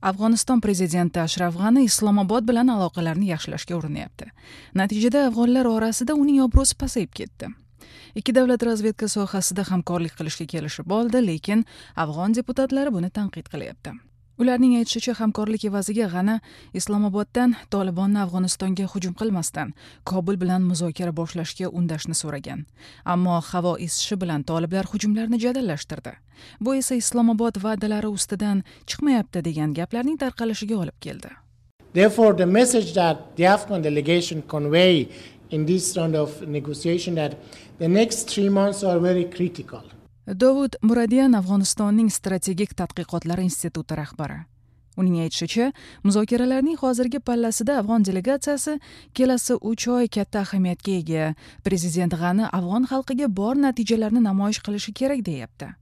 Afg'oniston prezidenti Ashraf G'ani Islomobod bilan aloqalarni yaxshilashga urinyapti. Natijada afg'onlar orasida uning obro'si pasayib ketdi. Ikki davlat razvedka sohasida hamkorlik qilishga kelishib oldi, lekin afg'on deputatlari buni tanqid qilyapti. Ularning aytishicha, hamkorlik evaziga G'ani Islomoboddan Tolibonni Afg'onistonga hujum qilmasdan Kobul bilan muzokara boshlashga undashni so'ragan. Ammo havo isishi bilan toliblar hujumlarni jadallashtirdi. Bu esa Islomobod va'dalari ustidan chiqmayapti degan gaplarning tarqalishiga olib keldi. Therefore, the message that the Afghan delegation convey in this round of negotiation that the next 3 months are very critical. Dovud Muradian Afg'onistonning strategik tadqiqotlar instituti rahbari. Uning aytishicha, muzokaralarning hozirgi pallasida afg'on delegatsiyasi kelasi 3 oy katta ahamiyatga ega. Prezident G'ani afg'on xalqiga bor natijalarni namoyish qilishi kerak deyapti.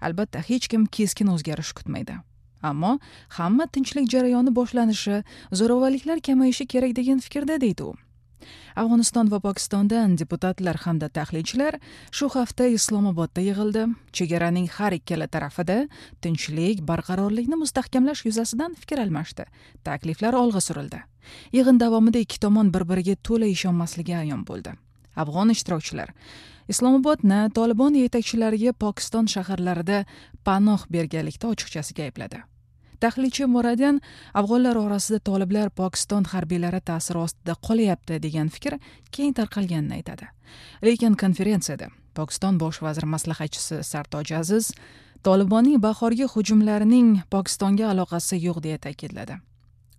Albatta, hech kim keskin o'zgarish kutmaydi. Ammo hamma tinchlik jarayoni boshlanishi, zo'ravonliklar kamayishi kerak degan fikrda, deydi u. Afg'oniston va Pokistondan deputatlar hamda tahlilchilar shu hafta Islomobodda yig'ildi. Chegaraning har ikkala tarafida tinchlik, barqarorlikni mustahkamlash yuzasidan fikr almashdi. Takliflar olg'a surildi. Yig'in davomida ikki tomon bir-biriga to'la ishonmasligi ayon bo'ldi. Afg'on ishtirokchilar Islomobodni Tolibon yetakchilariga Pokiston shaharlarida panoh berganlikda ochiqchasiga aybladi. Tahlilchi Muradian afg'onlar orasida toliblar Pokiston harbiylari ta'siri ostida qolyapti degan fikr keng tarqalganini aytadi. Lekin konferensiyada Pokiston bosh vazir maslahatchisi Sartoj Aziz Tolibonning bahorgi hujumlarining Pokistonga aloqasi yo'q deya ta'kidladi.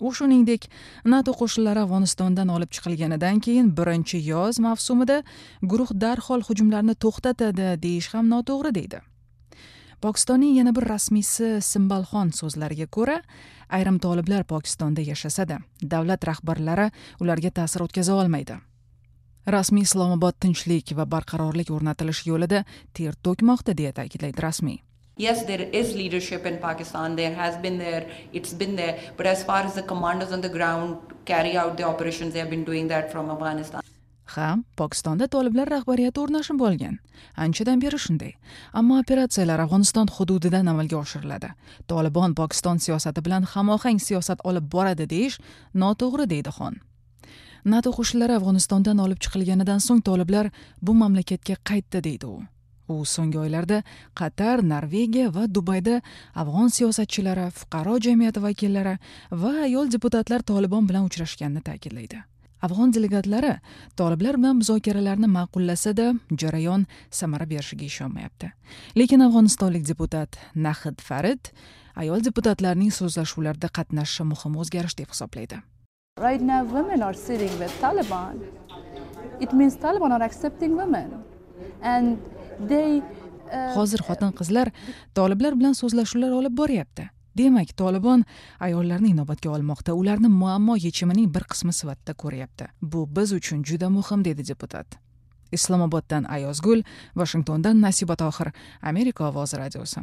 U shuningdek, NATO qo'shinlari Afg'onistondan olib chiqilganidan keyin birinchi yoz mavsumida guruh darhol hujumlarni to'xtatadi deyish ham noto'g'ri deydi. Pokistonning yana bir rasmiysi Simbalxon so'zlariga ko'ra, ayrim toliblar Pokistonda yashasa-da, davlat rahbarlari ularga ta'sir o'tkaza olmaydi. Rasmiy Islomobod tinchlik va barqarorlik o'rnatilishi yo'lida ter to'kmoqda deya ta'kidlaydi rasmiy. Yes, there is leadership in Pakistan. There has been there, it's been there. But as far as the commanders on the ground carry out the operations, they have been doing that from Afghanistan. Ha, Pokistonda toliblar rahbariyati o'rnashib bo'lgan. Anchadan beri shunday. Ammo operatsiyalar Afg'oniston hududidan amalga oshiriladi. Tolibon Pokiston siyosati bilan hamohang siyosat olib boradi deyish noto'g'ri, deydi Xon. NATO qo'shinlari Afg'onistondan olib chiqilganidan so'ng toliblar bu mamlakatga qaytdi, deydi u. U so'nggi oylarda Qatar, Norvegiya va Dubayda afg'on siyosatchilari, fuqaro jamiyati vakillari va ayol deputatlar Tolibon bilan uchrashganini ta'kidlaydi. Afg'on delegatlari toliblar bilan muzokaralarni ma'qullasa-da, jarayon samara berishiga ishonmayapti. Lekin afg'onistonlik deputat Nahid Farid ayol deputatlarning so'zlashuvlarda qatnashishi muhim o'zgarish deb hisoblaydi. Right now women are sitting with Taliban. It means Taliban are accepting women. And they Hozir xotin-qizlar toliblar bilan so'zlashuvlar olib boryapti. Demak, Tolibon ayollarni inobatga olmoqda, ularni muammo yechimining bir qismi sifatida ko'ryapti. Bu biz uchun juda muhim, dedi deputat. Islomoboddan Ayozgul, Washingtondan Nasiba Tohir, Amerika ovozi radiosi.